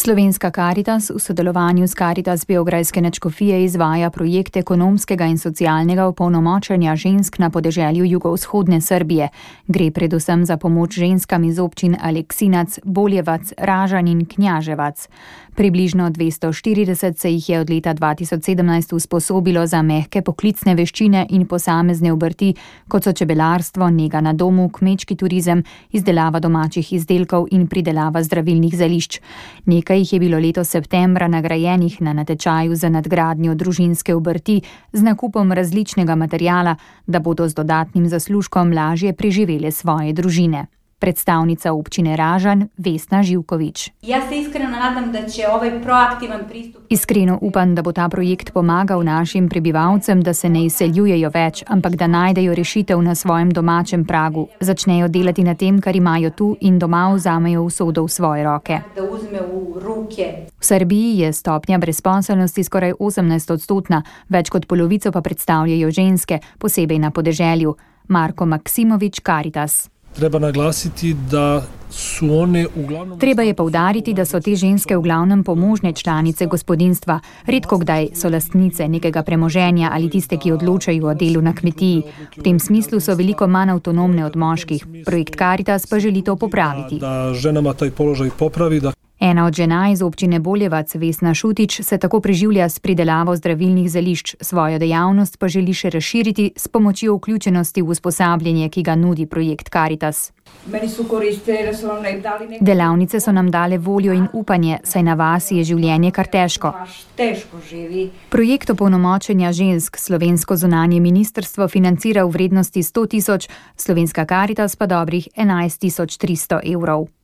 Slovenska Karitas v sodelovanju s Karitas Beograjske nadškofije izvaja projekt ekonomskega in socialnega opolnomočenja žensk na podeželju jugovzhodne Srbije. Gre predvsem za pomoč ženskam iz občin Aleksinac, Boljevac, Ražanj in Knjaževac. Približno 240 se jih je od leta 2017 usposobilo za mehke poklicne veščine in posamezne obrti, kot so čebelarstvo, nega na domu, kmečki turizem, izdelava domačih izdelkov in pridelava zdravilnih zelišč. Nekaj jih je bilo letos septembra nagrajenih na natečaju za nadgradnjo družinske obrti z nakupom različnega materiala, da bodo z dodatnim zaslužkom lažje preživele svoje družine. Predstavnica občine Ražanj Vesna Živković. Jaz se iskreno nadam, da će ovaj proaktivan pristup... Iskreno upam, da bo ta projekt pomagal našim prebivalcem, da se ne izseljujejo več, ampak da najdejo rešitev na svojem domačem pragu, začnejo delati na tem, kar imajo tu in doma vzamejo usodo v svoje roke. Da uzme v ruke. V Srbiji je stopnja brezposelnosti skoraj 18%, več kot polovico pa predstavljajo ženske, posebej na podeželju. Marko Maksimović, Karitas. Treba naglasiti, da su one uglavnom... Treba je poudariti, da so te ženske v glavnem pomožne članice gospodinjstva. Redko kdaj so lastnice nekega premoženja ali tiste, ki odločajo o delu na kmetiji. V tem smislu so veliko manj avtonomne od moških. Projekt Karitas pa želi to popraviti. Da ženama taj položaj popravi, da... Ena od žena iz občine Boljevac, Vesna Šutić, se tako preživlja s pridelavo zdravilnih zelišč, svojo dejavnost pa želi še razširiti s pomočjo vključenosti v usposabljanje, ki ga nudi projekt Karitas. Delavnice so nam dale voljo in upanje, saj na vasi je življenje kar težko. Projekt opolnomočenja žensk slovensko zunanje ministrstvo financira v vrednosti 100 000, Slovenska Karitas pa dobrih 11 300 evrov.